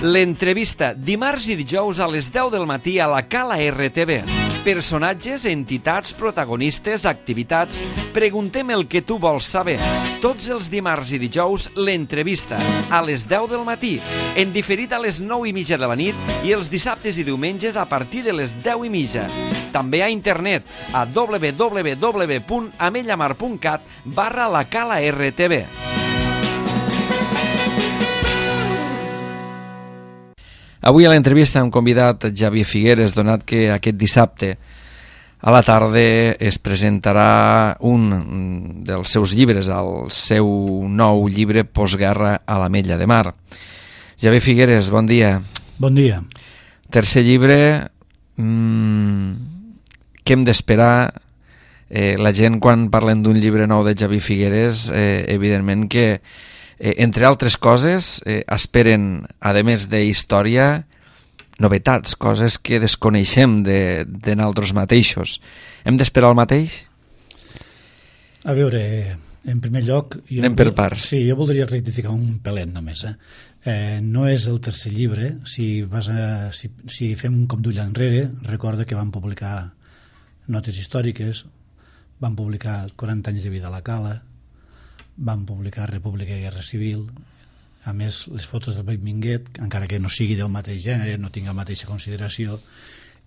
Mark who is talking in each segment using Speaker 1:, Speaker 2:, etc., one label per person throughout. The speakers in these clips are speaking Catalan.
Speaker 1: L'entrevista dimarts i dijous a les 10 del matí a la Cala RTV. Personatges, entitats, protagonistes, activitats. Preguntem el que tu vols saber. Tots els dimarts i dijous, l'entrevista a les 10 del matí, en diferit a les 9:30 de la nit i els dissabtes i diumenges a partir de les 10:30. També a internet a www.amellamar.cat/la Cala RTV. Avui a l'entrevista hem convidat Xavier Figueres, donat que aquest dissabte a la tarda es presentarà un dels seus llibres, el seu nou llibre Postguerra a l'Ametlla de Mar. Xavier Figueres, bon dia.
Speaker 2: Bon dia.
Speaker 1: Tercer llibre, què hem d'esperar? La gent, quan parlen d'un llibre nou de Xavier Figueres, evidentment que entre altres coses, esperen, a més de història, novetats, coses que desconeixem de nosaltres mateixos. Hem d'esperar el mateix?
Speaker 2: A veure, en primer lloc...
Speaker 1: Anem per parts.
Speaker 2: Sí, jo voldria rectificar un pelet només. No és el tercer llibre. Si fem un cop d'ull enrere, recorda que van publicar notes històriques, van publicar 40 anys de vida a la Cala, van publicar República i Guerra Civil, a més les fotos del Beck Minguet, encara que no sigui del mateix gènere, no tinga la mateixa consideració,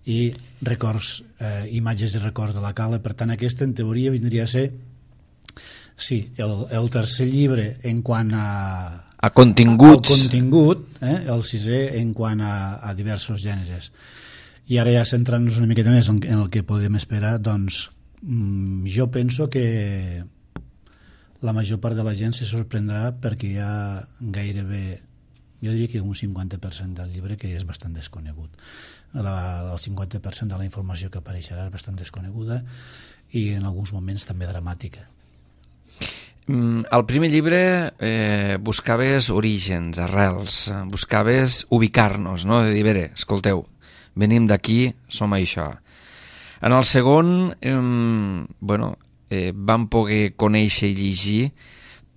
Speaker 2: i records, imatges i records de la Cala. Per tant, aquesta en teoria vindria a ser el tercer llibre en quant a
Speaker 1: continguts,
Speaker 2: el sisè en quant a diversos gèneres. I ara ja centrant-nos una miqueta més en el que podem esperar, doncs jo penso que la major part de la gent se sorprendrà perquè hi ha gairebé, jo diria que un 50% del llibre que és bastant desconegut. El 50% de la informació que apareixerà és bastant desconeguda i en alguns moments també dramàtica.
Speaker 1: Al primer llibre buscaves orígens, arrels, buscaves ubicar-nos, no? De dir, bé, escolteu, venim d'aquí, som això. En el segon, vam poder conèixer i llegir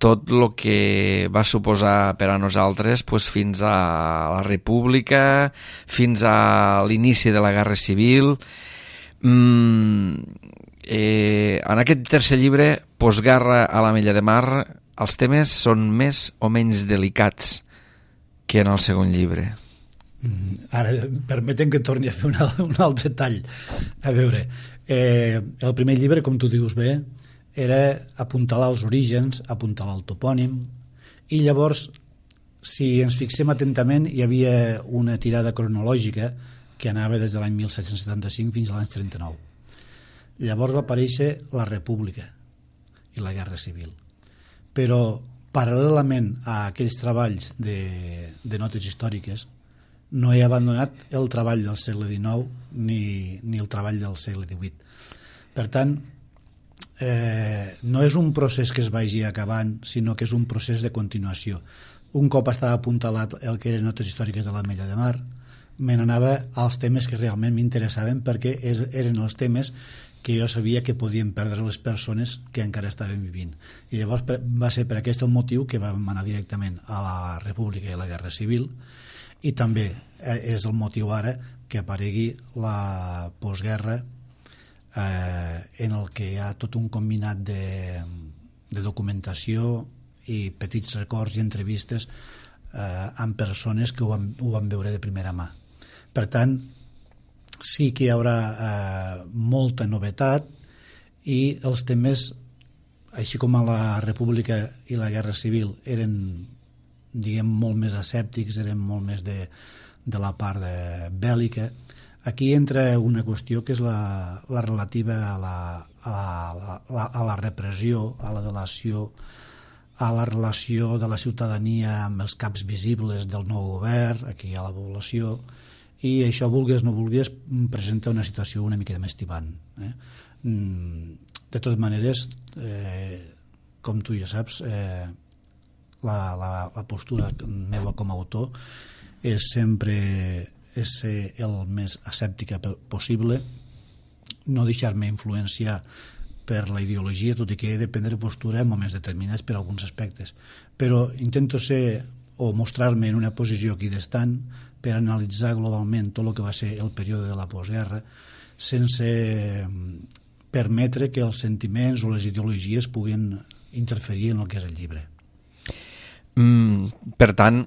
Speaker 1: tot el que va suposar per a nosaltres fins a la República, fins a l'inici de la Guerra Civil. En aquest tercer llibre, Postguerra a l'Ametlla de Mar, els temes són més o menys delicats que en el segon llibre.
Speaker 2: Ara, permetem que torni a fer un altre tall. A veure, el primer llibre, com tu dius bé, era apuntalar els orígens, apuntalar el topònim, i llavors, si ens fixem atentament, hi havia una tirada cronològica que anava des de l'any 1775 fins a l'any 39. Llavors va aparèixer la República i la Guerra Civil. Però, paral·lelament a aquells treballs de notes històriques, no he abandonat el treball del segle XIX ni el treball del segle XVIII. Per tant, no és un procés que es vagi acabant, sinó que és un procés de continuació. Un cop estava apuntalat el que eren notes històriques de l'Ametlla de Mar, me n'anava als temes que realment m'interessaven perquè eren els temes que jo sabia que podien perdre les persones que encara estaven vivint. I llavors va ser per aquest el motiu que vam anar directament a la República i a la Guerra Civil, i també és el motiu ara que aparegui la postguerra, en el que hi ha tot un combinat de documentació i petits records i entrevistes amb persones que ho van veure de primera mà. Per tant, sí que hi haurà molta novetat i els temes, així com a la República i la Guerra Civil eren, diguem, molt més escèptics, eren molt més de la part bèl·lica. Aquí entra una qüestió que és la relativa a la repressió, a la delació, a la relació de la ciutadania amb els caps visibles del nou govern, aquí hi ha la població, i això, vulgues o no vulgues, presenta una situació una mica més tibant. De totes maneres, com tu ja saps, la postura meva com a autor és sempre ser el més escèptica possible, no deixar-me influenciar per la ideologia, tot i que he de prendre postura en moments determinats per alguns aspectes, però intento ser o mostrar-me en una posició equidistant per analitzar globalment tot el que va ser el període de la postguerra, sense permetre que els sentiments o les ideologies puguin interferir en el que és el llibre.
Speaker 1: Per tant,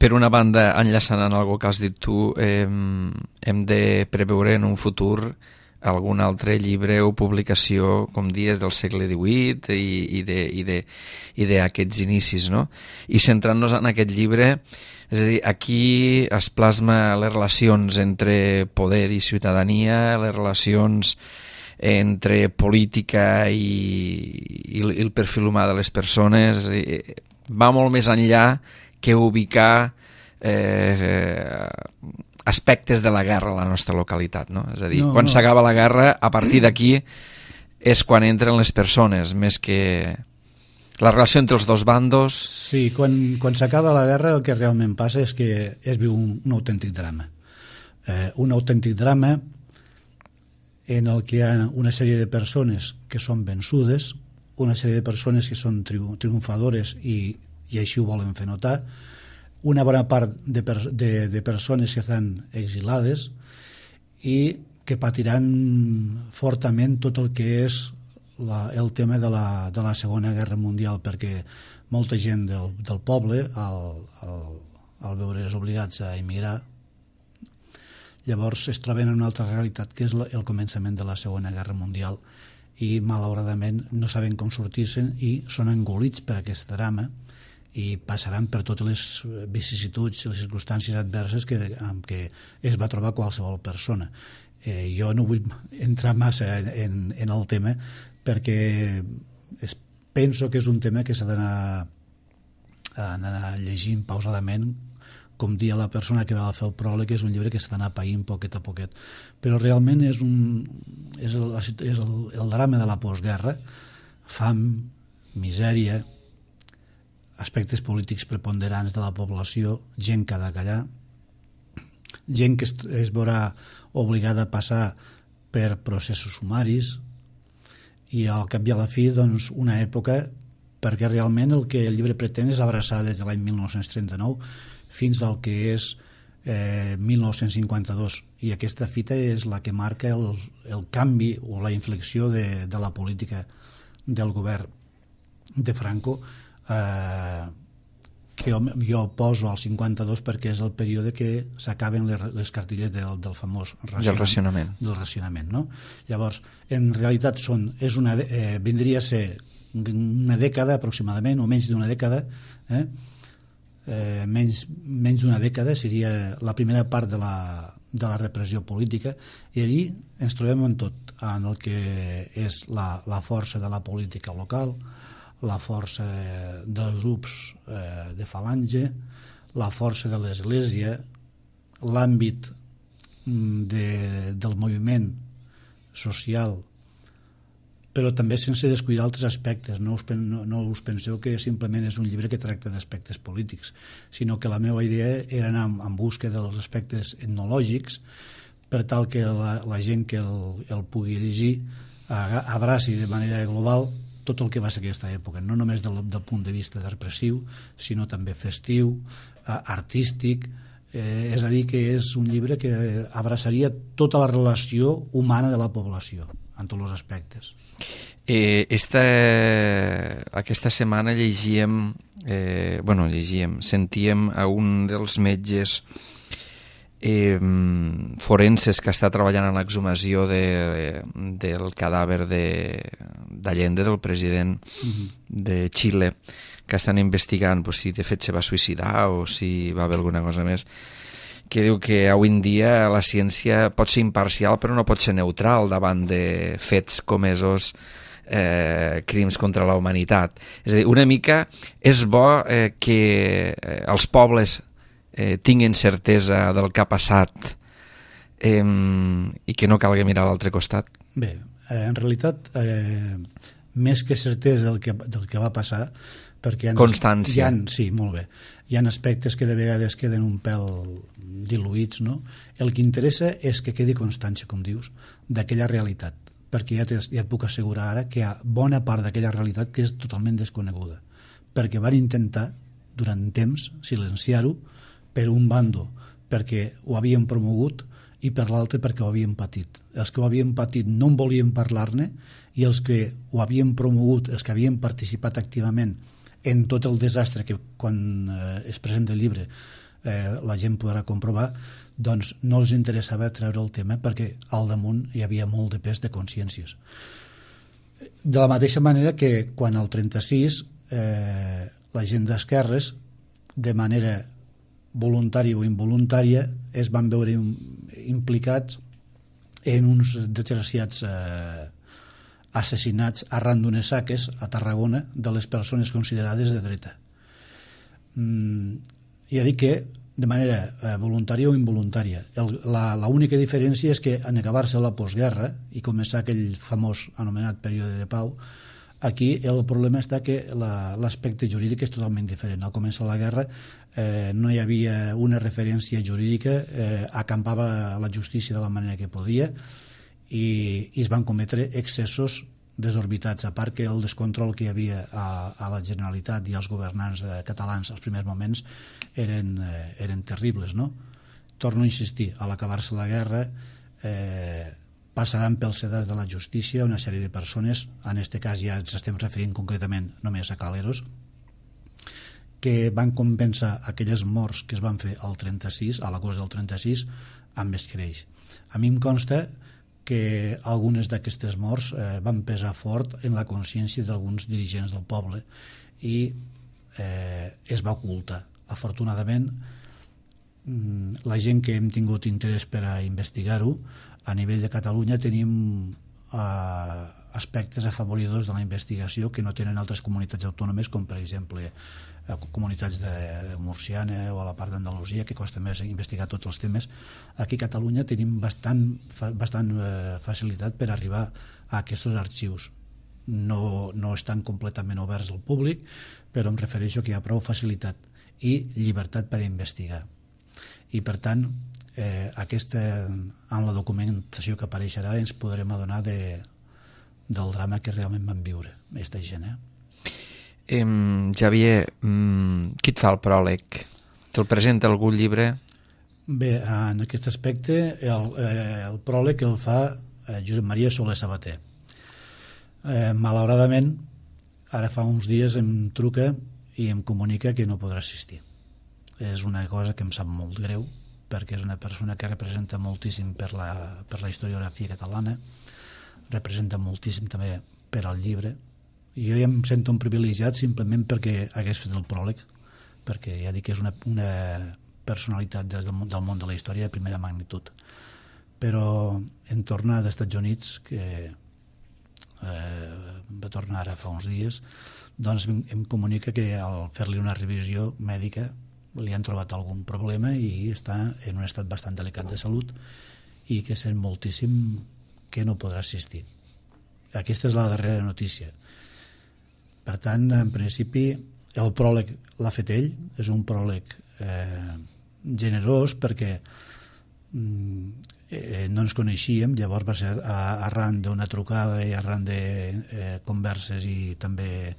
Speaker 1: per una banda, enllaçant en algo que has dit tu, hem de preveure en un futur algun altre llibre o publicació, com dies, del segle XVIII i d'aquests inicis, no? I centrant-nos en aquest llibre, és a dir, aquí es plasma les relacions entre poder i ciutadania, les relacions entre política i el perfil humà de les persones. Va molt més enllà que ubicar aspectes de la guerra a la nostra localitat, no? És a dir, quan s'acaba la guerra, a partir d'aquí és quan entren les persones, més que la relació entre els dos bandos.
Speaker 2: Sí, quan s'acaba la guerra el que realment passa és que es viu un autèntic drama. Un autèntic drama en el que hi ha una sèrie de persones que són vençudes, una sèrie de persones que són triomfadores i així ho volen fer notar, una bona part de persones que estan exilades i que patiran fortament tot el que és el tema de la Segona Guerra Mundial, perquè molta gent del poble, al veure's obligats a emigrar, llavors es troben en una altra realitat, que és el començament de la Segona Guerra Mundial, i malauradament no saben com sortir-se'n i són engolits per aquest drama i passaran per totes les vicissituds i les circumstàncies adverses amb què es va trobar qualsevol persona. Jo no vull entrar massa en el tema perquè penso que és un tema que s'ha d'anar llegint pausadament, com dia la persona que va fer el pròleg, que és un llibre que s'ha d'anar païnt poquet a poquet. Però realment és el drama de la postguerra, fam, misèria, aspectes polítics preponderants de la població, gent que ha de callar, gent que es veurà obligada a passar per processos sumaris i al cap i a la fi doncs, una època, perquè realment el que el llibre pretén és abraçar des de l'any 1939 fins al que és 1952, i aquesta fita és la que marca el canvi o la inflexió de la política del govern de Franco, que jo poso al 52 perquè és el període que s'acaben les cartilles del famós racionament, no? Llavors, en realitat vindria a ser una dècada aproximadament, o menys d'una dècada, menys d'una dècada seria la primera part de la repressió política, i allí ens trobem en tot, en el que és la força de la política local, la força dels grups de falange, la força de l'Església, l'àmbit del moviment social, però també sense descuidar altres aspectes. No us penseu que simplement és un llibre que tracta d'aspectes polítics, sinó que la meva idea era anar en busca dels aspectes etnològics per tal que la gent que el pugui llegir abraci de manera global tot el que va ser aquesta època, no només del punt de vista repressiu, sinó també festiu, artístic, és a dir, que és un llibre que abraçaria tota la relació humana de la població, en tots els aspectes.
Speaker 1: Aquesta setmana sentíem a un dels metges forenses que està treballant en l'exhumació del cadàver d'Allende, del president de Xile, que estan investigant si de fet se va suïcidar o si va haver alguna cosa més, que diu que avui en dia la ciència pot ser imparcial però no pot ser neutral davant de fets comesos, crims contra la humanitat. És a dir, una mica és bo que els pobles tinguin certesa del que ha passat i que no calgui mirar a l'altre costat.
Speaker 2: Bé, en realitat més que certesa del que va passar, perquè
Speaker 1: constància.
Speaker 2: Sí, molt bé, hi ha aspectes que de vegades queden un pèl diluïts, no? El que interessa és que quedi constància, com dius, d'aquella realitat, perquè ja et puc assegurar ara que hi ha bona part d'aquella realitat que és totalment desconeguda, perquè van intentar durant temps, silenciar-ho, per un bando perquè ho havien promogut i per l'altre perquè ho havien patit. Els que ho havien patit no en volien parlar-ne i els que ho havien promogut, els que havien participat activament en tot el desastre que quan es presenta el llibre la gent podrà comprovar, doncs no els interessava treure el tema perquè al damunt hi havia molt de pes de consciències. De la mateixa manera que quan al 36 la gent d'esquerres, de manera voluntària o involuntària, es van veure implicats en uns desgraciats assassinats arran d'unes saques a Tarragona de les persones considerades de dreta. Ja dic que de manera voluntària o involuntària. L'única diferència és que en acabar-se la postguerra i començar aquell famós anomenat període de pau, aquí el problema està que l'aspecte jurídic és totalment diferent. Al començar la guerra no hi havia una referència jurídica, acampava la justícia de la manera que podia i es van cometre excessos desorbitats, a part que el descontrol que hi havia a la Generalitat i als governants catalans als primers moments eren terribles, no? Torno a insistir, a l'acabar-se la guerra passaran pels sedats de la justícia una sèrie de persones, en aquest cas ja ens estem referint concretament només a Caleros, que van compensar aquelles morts que es van fer al 36, a l'agost del 36, amb escreix. A mi em consta que algunes d'aquestes morts van pesar fort en la consciència d'alguns dirigents del poble i es va ocultar. Afortunadament, la gent que hem tingut interès per a investigar-ho, a nivell de Catalunya tenim aspectes afavoridors de la investigació que no tenen altres comunitats autònomes, com per exemple comunitats de Murciana o a la part d'Andalusia, que costa més investigar tots els temes. Aquí a Catalunya tenim bastant facilitat per arribar a aquests arxius. No estan completament oberts al públic, però em refereixo que hi ha prou facilitat i llibertat per investigar. I per tant, amb la documentació que apareixerà ens podrem adonar del drama que realment van viure aquesta gent.
Speaker 1: Xavier, qui et fa el pròleg? Te'l presenta algun llibre?
Speaker 2: Bé, en aquest aspecte el pròleg el fa Josep Maria Soler Sabater. Malauradament, ara fa uns dies em truca i em comunica que no podrà assistir. És una cosa que em sap molt greu, perquè és una persona que representa moltíssim per la historiografia catalana, representa moltíssim també per al llibre, i jo ja em sento un privilegiat simplement perquè hagués fet el pròleg, perquè ja dic que és una personalitat del món de la història de primera magnitud. Però en tornar dels Estats Units, que va tornar ara fa uns dies, doncs em comunica que al fer-li una revisió mèdica li han trobat algun problema i està en un estat bastant delicat de salut i que sent moltíssim que no podrà assistir. Aquesta és la darrera notícia. Per tant, en principi, el pròleg l'ha fet ell, és un pròleg generós perquè no ens coneixíem, llavors va ser arran d'una trucada i arran de converses i també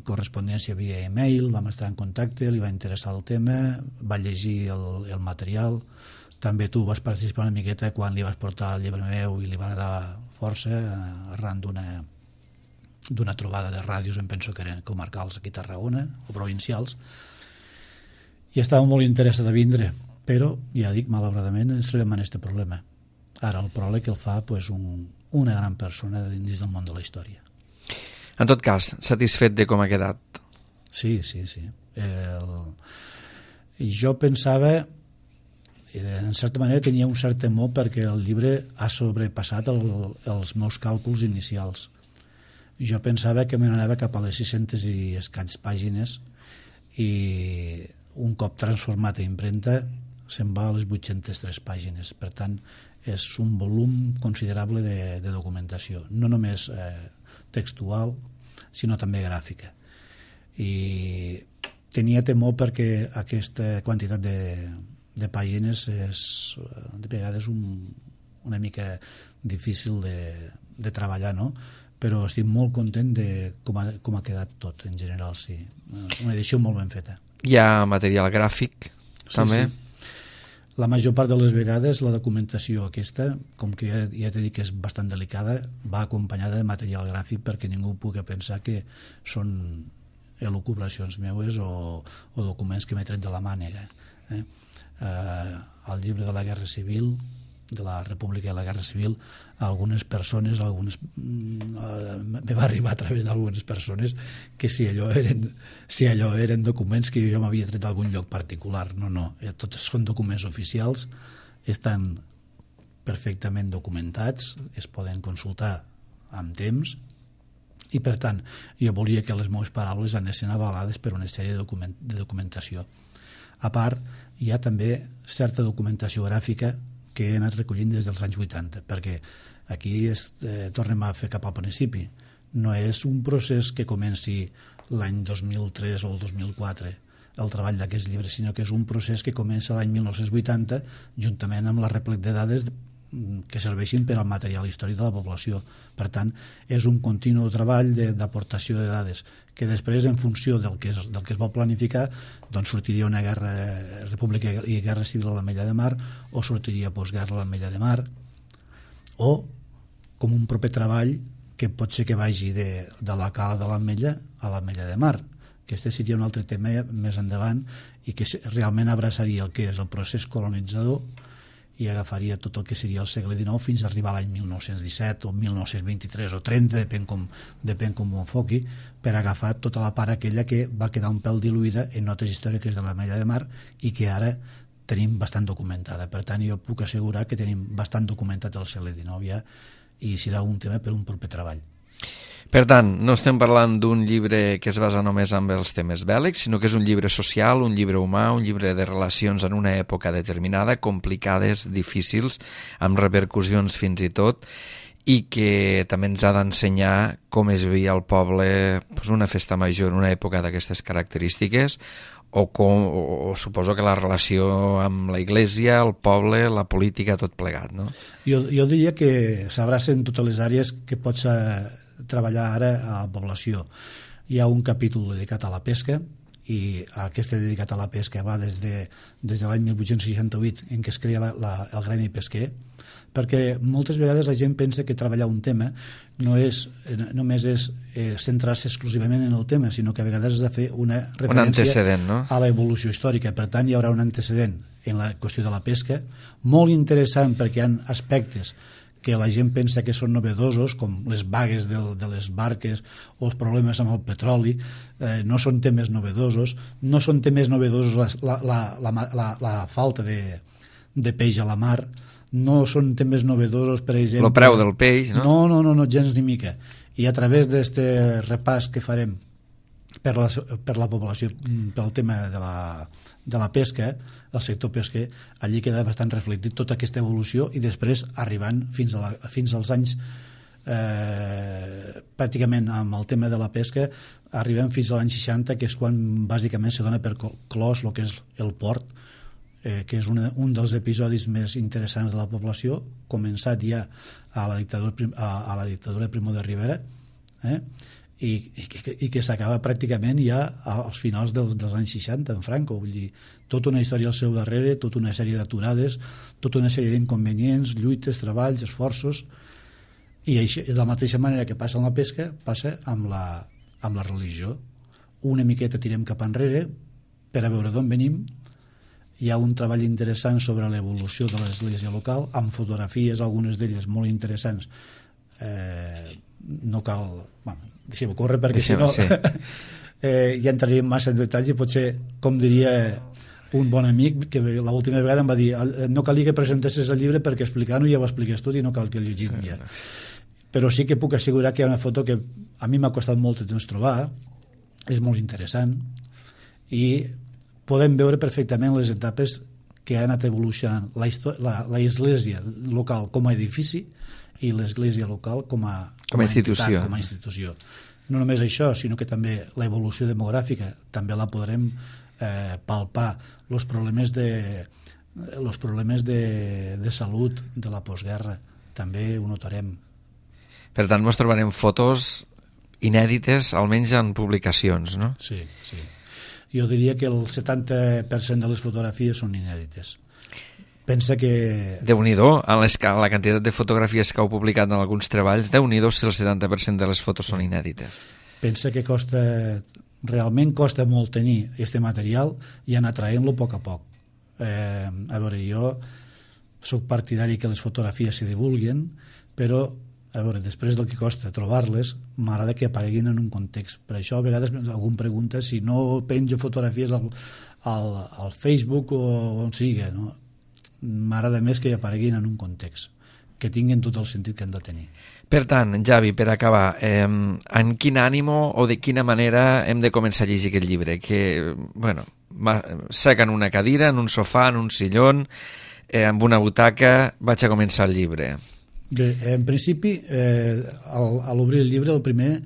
Speaker 2: correspondència via e-mail, vam estar en contacte, li va interessar el tema, va llegir el material, també tu vas participar una miqueta quan li vas portar el llibre meu i li va dar força arran d'una trobada de ràdios, em penso que eren comarcals aquí a Tarragona o provincials, i estava molt interessat a vindre, però ja dic, malauradament ens trobem en aquest problema. Ara el pròleg el fa una gran persona dins del món de la història.
Speaker 1: En tot cas, satisfet de com ha quedat?
Speaker 2: Sí. Jo pensava, en certa manera tenia un cert temor perquè el llibre ha sobrepassat els meus càlculs inicials. Jo pensava que me n'anava cap a les 600 i escaig pàgines i un cop transformat a impremta se'n va a les 803 pàgines. Per tant, és un volum considerable de documentació, no només textual, sinó també gràfica. I tenia temor perquè aquesta quantitat de pàgines és de vegades una mica difícil de treballar, no? però estic molt content de com ha quedat tot, en general, sí. Una edició molt ben feta.
Speaker 1: Hi ha material gràfic, també?
Speaker 2: Sí. La major part de les vegades la documentació aquesta, com que ja t'he dit que és bastant delicada, va acompanyada de material gràfic perquè ningú pugui pensar que són elucubracions meues o documents que m'he tret de la mànega. El llibre de la Guerra Civil, de la República i la Guerra Civil, algunes persones me va arribar a través d'algunes persones que si allò eren documents que jo m'havia tret d'algun lloc particular. No, tots són documents oficials, estan perfectament documentats, es poden consultar amb temps, i per tant jo volia que les meves paraules anessin avalades per una sèrie de documentació. A part, hi ha també certa documentació gràfica que he anat recollint des dels anys 80, perquè aquí tornem a fer cap al principi. No és un procés que comenci l'any 2003 o el 2004, el treball d'aquests llibres, sinó que és un procés que comença l'any 1980, juntament amb la replec de dades que serveixin per al material històric de la població. Per tant, és un continu treball d'aportació de dades que després, en funció del que es vol planificar, doncs sortiria una república i guerra civil a l'Ametlla de Mar, o sortiria postguerra a l'Ametlla de Mar, o com un proper treball que pot ser que vagi de la cala de l'Ametlla a l'Ametlla de Mar. Aquest seria un altre tema més endavant i que realment abraçaria el que és el procés colonitzador i agafaria tot el que seria el segle XIX fins a arribar a l'any 1917 o 1923 o 30, depèn com ho enfoqui, per agafar tota la part aquella que va quedar un pèl diluïda en notes històriques de l'Ametlla de Mar i que ara tenim bastant documentada. Per tant, jo puc assegurar que tenim bastant documentat el segle XIX ja, i serà un tema per un proper treball.
Speaker 1: Per tant, no estem parlant d'un llibre que es basa només en els temes bèl·lics, sinó que és un llibre social, un llibre humà, un llibre de relacions en una època determinada, complicades, difícils, amb repercussions fins i tot, i que també ens ha d'ensenyar com es vivia al poble una festa major en una època d'aquestes característiques, o suposo que la relació amb la Iglésia, el poble, la política, tot plegat, no?
Speaker 2: Jo diria que s'abracen totes les àrees que pots treballar ara a la població. Hi ha un capítol dedicat a la pesca, i aquest dedicat a la pesca va des de l'any 1868, en què es crea el gremi pesquer, perquè moltes vegades la gent pensa que treballar un tema només és centrar-se exclusivament en el tema, sinó que a vegades has de fer una referència a l'evolució històrica. Per tant, hi haurà un antecedent en la qüestió de la pesca, molt interessant perquè hi ha aspectes que la gent pensa que són novedosos, com les vagues de les barques o els problemes amb el petroli. No són temes novedosos. No són temes novedosos la falta de peix a la mar. No són temes novedosos, per exemple...
Speaker 1: El preu del peix, no?
Speaker 2: No, gens ni mica. I a través d'aquest repàs que farem per la població, pel tema de la pesca, el sector pesquer, allí queda bastant reflectit tota aquesta evolució, i després arribant fins als anys pràcticament amb el tema de la pesca, arribem fins a l'any 60, que és quan bàsicament se dona per clos el que és el port, que és un dels episodis més interessants de la població, començat ja a la dictadura de Primo de Rivera, i que s'acaba pràcticament ja als finals dels anys 60 en Franco. Vull dir, tota una història al seu darrere, tota una sèrie d'aturades, tota una sèrie d'inconvenients, lluites, treballs, esforços, i així, de la mateixa manera que passa amb la pesca, passa amb la religió. Una miqueta tirem cap enrere per a veure d'on venim. Hi ha un treball interessant sobre l'evolució de l'església local, amb fotografies, algunes d'elles molt interessants. No cal... deixem-ho córrer, perquè si no ja entraríem massa en detalls, i potser, com diria un bon amic, que l'última vegada em va dir no calia que presentessis el llibre perquè explicar-ho ja ho expliques tot i no cal que el llegis ja. Però sí que puc assegurar que hi ha una foto que a mi m'ha costat molt de temps trobar, és molt interessant, i podem veure perfectament les etapes que ha anat evolucionant l'església local com a edifici i l'església local com a institució. No només això, sinó que també l'evolució demogràfica també la podrem palpar. Els problemes de salut de la postguerra també ho notarem.
Speaker 1: Per tant, ens trobarem fotos inèdites, almenys en publicacions, no?
Speaker 2: Sí, sí. Jo diria que el 70% de les fotografies són inèdites. Pensa que...
Speaker 1: Déu-n'hi-do, en la quantitat de fotografies que heu publicat en alguns treballs, Déu-n'hi-do si el 70% de les fotos són inèdites.
Speaker 2: Pensa que realment costa molt tenir aquest material i anar traient-lo a poc a poc. A veure, jo soc partidari que les fotografies se divulguen, però a veure, després del que costa trobar-les, m'agrada que apareguin en un context. Per això a vegades algú em pregunta si no penjo fotografies al Facebook o on sigui, no? M'agrada més que apareguin en un context, que tinguin tot el sentit que han de tenir.
Speaker 1: Per tant, Javi, per acabar, en quin ànimo o de quina manera hem de començar a llegir aquest llibre? Que, bueno, sec en una cadira, en un sofà, en un sillón, amb una butaca, vaig a començar el llibre.
Speaker 2: Bé, en principi, a l'obrir el llibre, el primer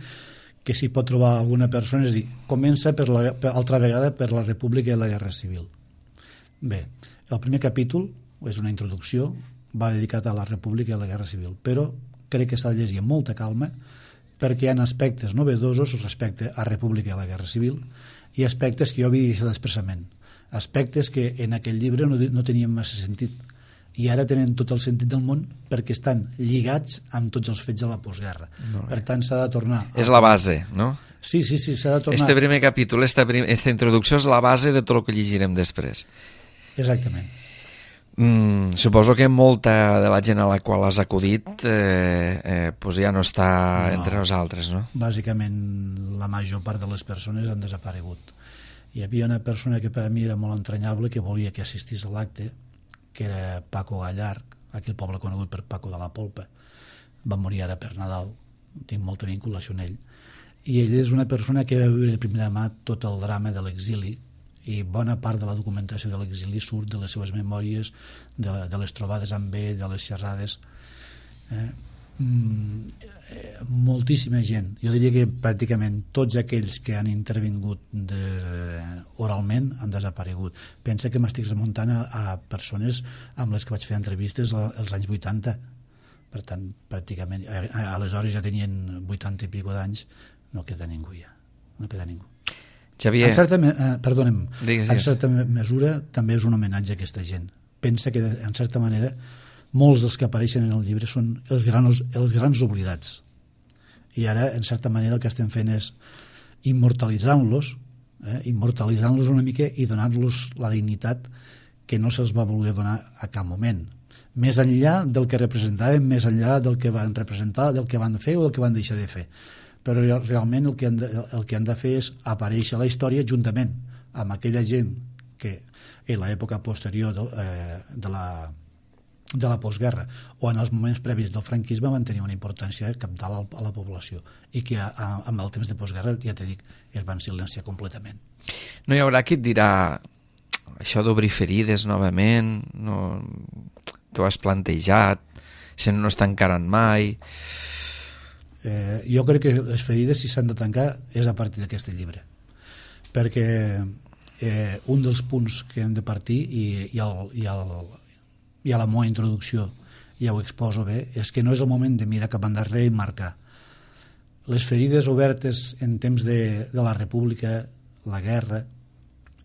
Speaker 2: que s'hi pot trobar alguna persona és dir, comença altra vegada per la República i la Guerra Civil. Bé, el primer capítol és una introducció, va dedicat a la República i a la Guerra Civil, però crec que s'ha de llegir amb molta calma perquè hi ha aspectes novedosos respecte a República i a la Guerra Civil i aspectes que jo havia deixat expressament, aspectes que en aquell llibre no tenien massa sentit i ara tenen tot el sentit del món perquè estan lligats amb tots els fets de la postguerra. Per tant, s'ha de tornar...
Speaker 1: És la base, no?
Speaker 2: Sí, s'ha de tornar...
Speaker 1: Este primer capítol, esta introducció és la base de tot el que llegirem després.
Speaker 2: Exactament.
Speaker 1: Suposo que molta de la gent a la qual has acudit pues ja no està entre nosaltres, no?
Speaker 2: Bàsicament la major part de les persones han desaparegut. Hi havia una persona que per a mi era molt entranyable que volia que assistís a l'acte, que era Paco Gallar, aquell poble conegut per Paco de la Polpa. Va morir ara per Nadal, tinc molta vinculació amb ell, i ell és una persona que va viure de primera mà tot el drama de l'exili i bona part de la documentació de l'exili surt de les seves memòries, de les trobades amb ell, de les xerrades. Moltíssima gent, jo diria que pràcticament tots aquells que han intervingut oralment han desaparegut. Pensa que m'estic remuntant a persones amb les que vaig fer entrevistes als anys 80, per tant pràcticament aleshores ja tenien 80 i pico d'anys, no queda ningú ja, no queda ningú.
Speaker 1: Xavier...
Speaker 2: En certa mesura també és un homenatge a aquesta gent. Pensa que en certa manera molts dels que apareixen en el llibre són els grans oblidats i ara en certa manera el que estem fent és immortalitzant-los una mica i donant-los la dignitat que no se'ls va voler donar a cap moment, més enllà del que representaven, més enllà del que van representar, del que van fer o del que van deixar de fer, però realment el que han de fer és aparèixer a la història juntament amb aquella gent que en l'època posterior de la postguerra o en els moments previs del franquisme van tenir una importància cabdal a la població i que amb el temps de postguerra, ja t'he dit, es van silenciar completament.
Speaker 1: No hi haurà qui et dirà això d'obrir ferides novament, no t'ho has plantejat, si no es tancaran mai...
Speaker 2: Jo crec que les ferides, si s'han de tancar, és a partir d'aquest llibre, perquè un dels punts que hem de partir i a la meva introducció ja ho exposo bé, és que no és el moment de mirar cap endarrere i marcar. Les ferides obertes en temps de la República, la guerra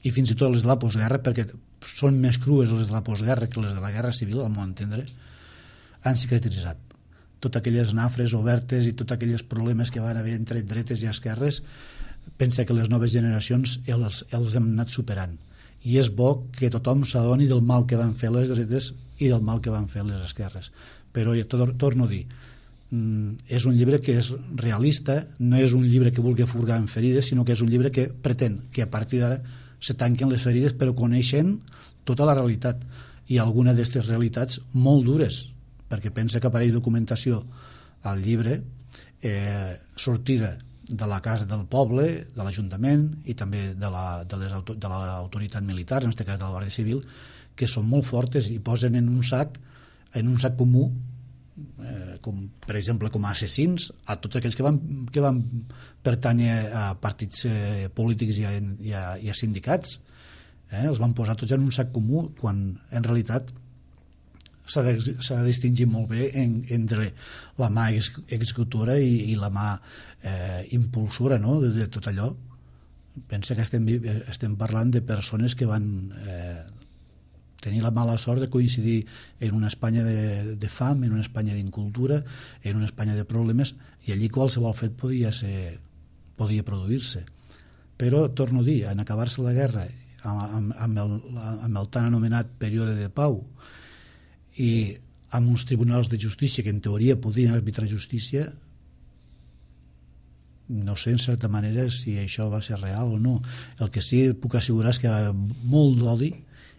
Speaker 2: i fins i tot les de la postguerra, perquè són més crues les de la postguerra que les de la Guerra Civil, al meu entendre, han cicatritzat. Totes aquelles nafres obertes i tots aquells problemes que van haver entre dretes i esquerres, pensa que les noves generacions els hem anat superant. I és bo que tothom s'adoni del mal que van fer les dretes i del mal que van fer les esquerres. Però torno a dir, és un llibre que és realista, no és un llibre que vulgui furgar en ferides, sinó que és un llibre que pretén que a partir d'ara se tanquen les ferides però coneixent tota la realitat i alguna d'aquestes realitats molt dures, perquè pensa que apareix documentació al llibre sortida de la casa del poble, de l'Ajuntament i també de l'autoritat militar, en aquest cas de la Guàrdia Civil, que són molt fortes i posen en un sac comú, com per exemple com a assassins, a tots aquells que van pertànyer a partits polítics i a sindicats. Els van posar tots en un sac comú quan en realitat s'ha de distingir molt bé entre la mà executora i la mà impulsora, no?, de tot allò. Pensa que estem parlant de persones que van tenir la mala sort de coincidir en una Espanya de fam, en una Espanya d'incultura, en una Espanya de problemes, i allí qualsevol fet podia produir-se. Però, torno a dir, en acabar-se la guerra amb el tan anomenat període de pau i amb uns tribunals de justícia que en teoria podien arbitrar justícia, no sé en certa manera si això va ser real o no. El que sí puc assegurar és que hi ha molt d'odi,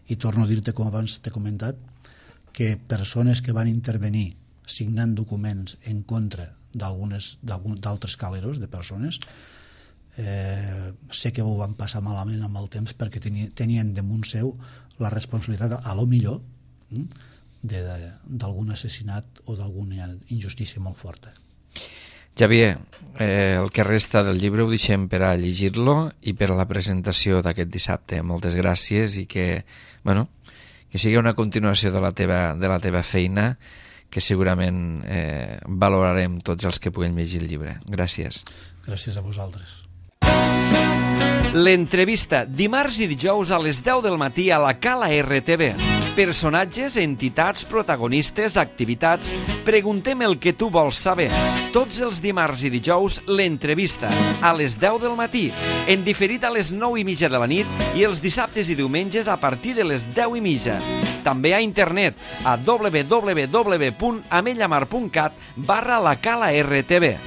Speaker 2: i torno a dir-te, com abans t'he comentat, que persones que van intervenir signant documents en contra d'altres caleros, de persones, sé que ho van passar malament amb el temps perquè tenien damunt seu la responsabilitat, a lo millor, d'algun assassinat o d'alguna injustícia molt forta.
Speaker 1: Xavier, el que resta del llibre ho deixem per a llegir-lo i per a la presentació d'aquest dissabte. Moltes gràcies i que sigui una continuació de la teva feina, que segurament valorarem tots els que puguem llegir el llibre. Gràcies.
Speaker 2: Gràcies a vosaltres.
Speaker 1: L'entrevista, dimarts i dijous a les 10 del matí a la Cala RTV. Personatges, entitats, protagonistes, activitats. Preguntem el que tu vols saber. Tots els dimarts i dijous, l'entrevista, a les 10 del matí, en diferit a les 9:30 de la nit i els dissabtes i diumenges a partir de les 10:30. També a internet a www.amellamar.cat/la Cala RTV.